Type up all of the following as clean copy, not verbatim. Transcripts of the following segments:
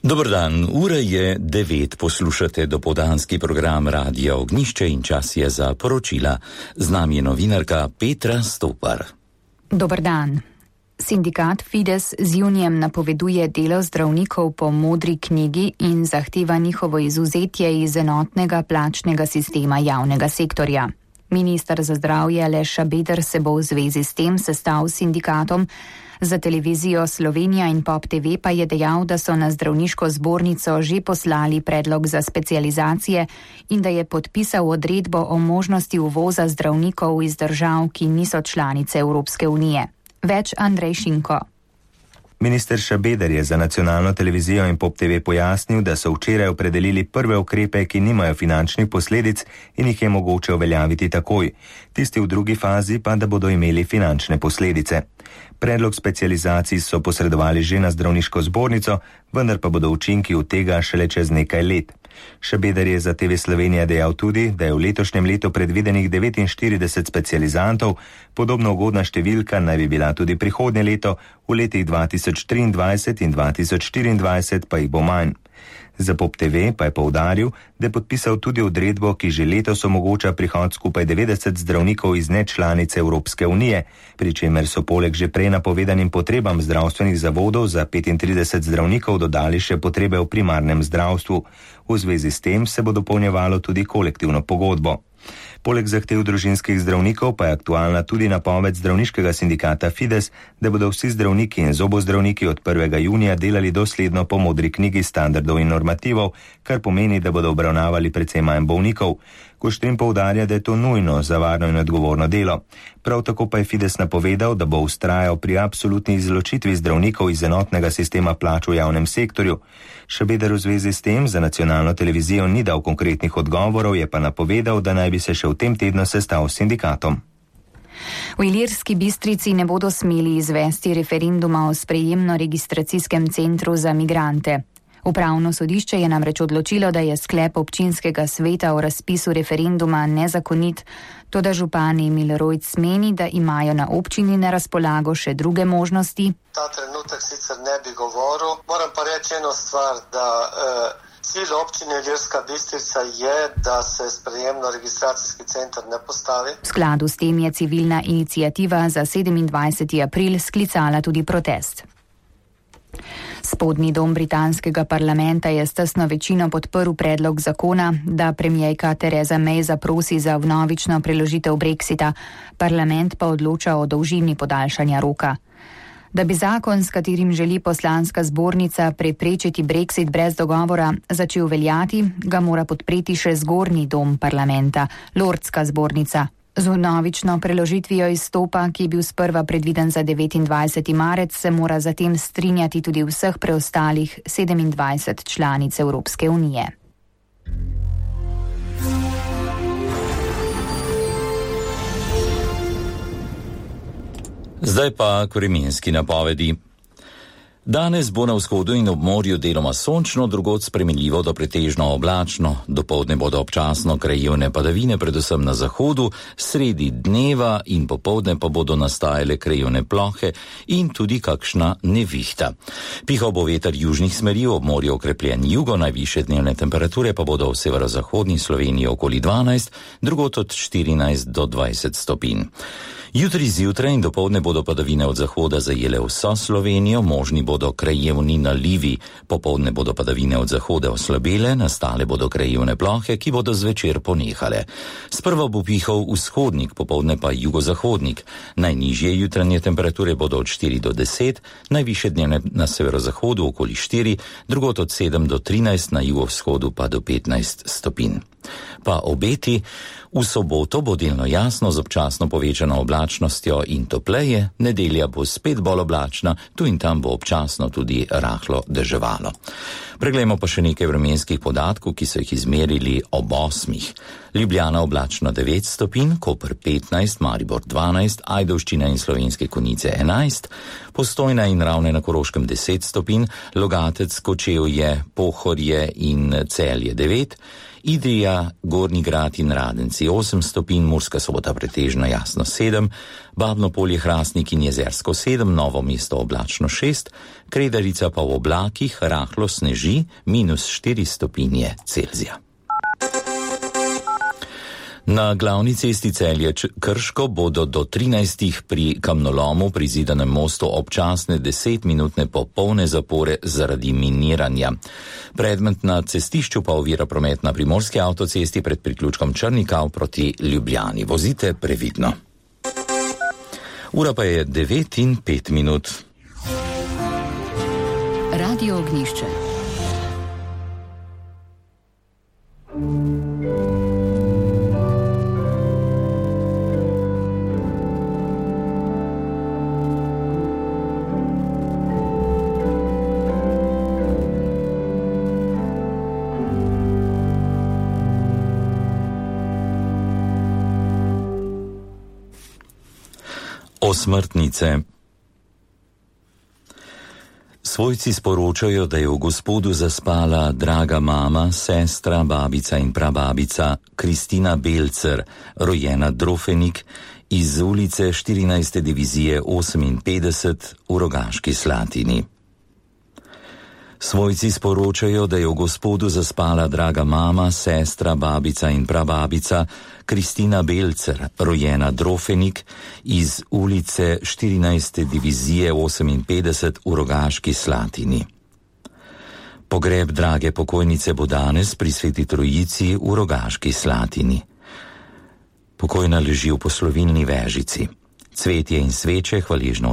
Dober dan, ura je 9, poslušate dopoldanski program Radia Ognjišče in čas je za poročila. Z nami je novinarka Petra Stopar. Dober dan. Sindikat Fides z junijem napoveduje delo zdravnikov po modri knjigi in zahteva njihovo izvzetje iz enotnega plačnega sistema javnega sektorja. Minister za zdravje Aleš Šabeder se bo v zvezi s tem sestal s sindikatom. Za televizijo Slovenija in Pop TV pa je dejal, da so na zdravniško zbornico že poslali predlog za specializacije in da je podpisal odredbo o možnosti uvoza zdravnikov iz držav, ki niso članice Evropske unije. Več Andrej Šinko. Minister Šabeder je za nacionalno televizijo in Pop TV pojasnil, da so včeraj opredelili prve ukrepe, ki nimajo finančnih posledic in jih je mogoče uveljaviti takoj. Tisti v drugi fazi pa, da bodo imeli finančne posledice. Predlog specializacij so posredovali že na zdravniško zbornico, vendar pa bodo učinki od tega šele čez nekaj let. Šabeder je za TV Slovenija dejal tudi, da je v letošnjem letu predvidenih 49 specializantov, podobno ugodna številka naj bi bila tudi prihodnje leto, v letih 2023 in 2024 pa jih bo manj. Za Pop TV pa je poudaril, da je podpisal tudi odredbo, ki že letos omogoča prihod skupaj 90 zdravnikov iz nečlanice Evropske unije, pri čemer so poleg že prej napovedanim potrebam zdravstvenih zavodov za 35 zdravnikov dodali še potrebe v primarnem zdravstvu. V zvezi s tem se bo dopolnjevalo tudi kolektivno pogodbo. Poleg zahtev družinskih zdravnikov pa je aktualna tudi napoved zdravniškega sindikata Fides, da bodo vsi zdravniki in zobozdravniki od 1. junija delali dosledno po modri knjigi standardov in normativov, kar pomeni, da bodo obravnavali precej manj bolnikov. Kuštrin poudarja, da je to nujno za varno in odgovorno delo. Prav tako pa je Fides napovedal, da bo vztrajal pri absolutni izločitvi zdravnikov iz enotnega sistema plač v javnem sektorju. Šabeder v zvezi s tem za nacionalno televizijo ni dal konkretnih odgovorov, je pa napovedal, da naj bi se še v tem tednu sestal s sindikatom. V Ilirski Bistrici ne bodo smeli izvesti referenduma o sprejemno-registracijskem centru za migrante. Upravno sodišče je namreč odločilo, da je sklep občinskega sveta o razpisu referenduma nezakonit, toda župan Emil Rojc meni, da imajo na občini na razpolago še druge možnosti. Ta trenutek sicer ne bi govoril, moram pa reči eno stvar, da cilj občine Ilirska Bistrica je, da se sprejemno-registracijski center ne postavi. V skladu s tem je civilna iniciativa za 27. april sklicala tudi protest. Spodnji dom britanskega parlamenta je s tesno večino podprl predlog zakona, da premierka Theresa May zaprosi za vnovično preložitev Brexita, parlament pa odloča o dolžini podaljšanja roka. Da bi zakon, s katerim želi poslanska zbornica preprečiti Brexit brez dogovora, začel veljati, ga mora podpreti še zgornji dom parlamenta, Lordska zbornica. Z vnovično preložitvijo izstopa, ki je bil sprva predviden za 29. marec, se mora zatem strinjati tudi vseh preostalih 27 članic Evropske unije. Zdaj pa k vremenski napovedi. Danes bo na vzhodu in ob morju deloma sončno, drugod spremenljivo do pretežno oblačno. Dopoldne bodo občasno krajevne padavine, predvsem na zahodu, sredi dneva in popoldne pa bodo nastajale krajevne plohe in tudi kakšna nevihta. Pihal bo veter južnih smeri, ob morju okrepljen jugo, najvišje dnevne temperature pa bodo v severozahodni Sloveniji okoli 12, drugod od 14 do 20 stopinj. Jutri zjutraj in dopoldne bodo padavine od zahoda zajele vso Slovenijo, možni bodo krajevni nalivi, popoldne bodo padavine od zahoda oslabele, nastale bodo krajevne plohe, ki bodo zvečer ponehale. Sprva bo pihal vzhodnik, popoldne pa jugozahodnik. Najnižje jutranje temperature bodo od 4 do 10, najvišje dnevne na severozahodu okoli 4, drugod od 7 do 13, na jugovzhodu pa do 15 stopinj. Pa obeti, v soboto bo delno jasno z občasno povečano oblačnostjo in topleje, nedelja bo spet bolj oblačna, tu in tam bo občasno tudi rahlo deževalo. Preglejmo pa še nekaj vremenskih podatkov, ki so jih izmerili ob 8. Ljubljana oblačno 9 stopinj, Koper 15, Maribor 12, Ajdovščina in Slovenske Konjice 11, Postojna in Ravne na Koroškem 10 stopinj, Logatec, Kočevje, Pohorje in Celje 9, Idrija, Gornji Grad in Radenci 8 stopinj, Murska Sobota pretežno jasno 7, Babno Polje, Hrastnik in Jezersko 7, Novo mesto oblačno 6, Kredarica pa v oblakih, rahlo sneži, -4 stopinje Celzija. Na glavni cesti Celje-Krško bodo do 13. pri kamnolomu pri Zidanem mostu občasne 10-minutne popolne zapore zaradi miniranja. Predmet na cestišču pa ovira promet na Primorski avtocesti pred priključkom Črnikav proti Ljubljani. Vozite previdno. Ura pa je 9:05. Radio Ognjišče. Osmrtnice. Svojci sporočajo, da je v Gospodu zaspala draga mama, sestra, babica in prababica Kristina Belcer, rojena Drofenik, iz ulice 14. divizije 58 v Rogaški Slatini. Svojci sporočajo, da je v Gospodu zaspala draga mama, sestra, babica in prababica Kristina Belcer, rojena Drofenik, iz ulice 14. divizije 58 v Rogaški Slatini. Pogreb drage pokojnice bo danes pri Sveti Trojici v Rogaški Slatini. Pokojna leži v poslovilni vežici. Cvetje in sveče hvaležno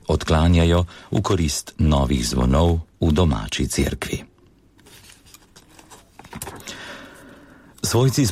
odklanjajo v korist novih zvonov v domači cerkvi. Svojci